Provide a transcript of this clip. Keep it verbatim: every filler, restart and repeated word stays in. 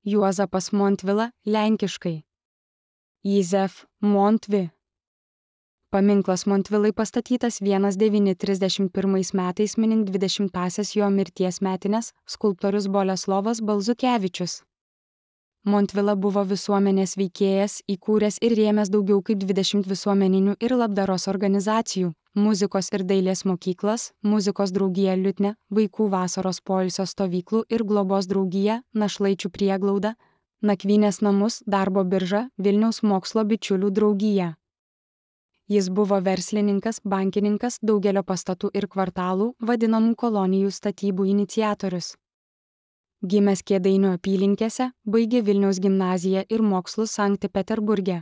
Juozapas Montvila, lenkiškai Jizef Montvi. Paminklas Montvilai pastatytas tūkstantis devyni šimtai trisdešimt pirmais metais minint dvidešimtąsias jo mirties metines, skulptorius Boleslovas Balzukevičius. Montvila buvo visuomenės veikėjas, įkūręs ir rėmęs daugiau kaip dvidešimt visuomeninių ir labdaros organizacijų, muzikos ir dailės mokyklas, muzikos draugiją Liutnia, vaikų vasaros poilsio stovyklų ir globos draugiją, našlaičių prieglaudą, nakvynės namus, darbo biržą, Vilniaus mokslo bičiulių draugiją. Jis buvo verslininkas, bankininkas, daugelio pastatų ir kvartalų, vadinamų kolonijų statybų iniciatorius. Gimęs Kėdainių apylinkėse, baigė Vilniaus gimnaziją ir mokslus Sankt Peterburge,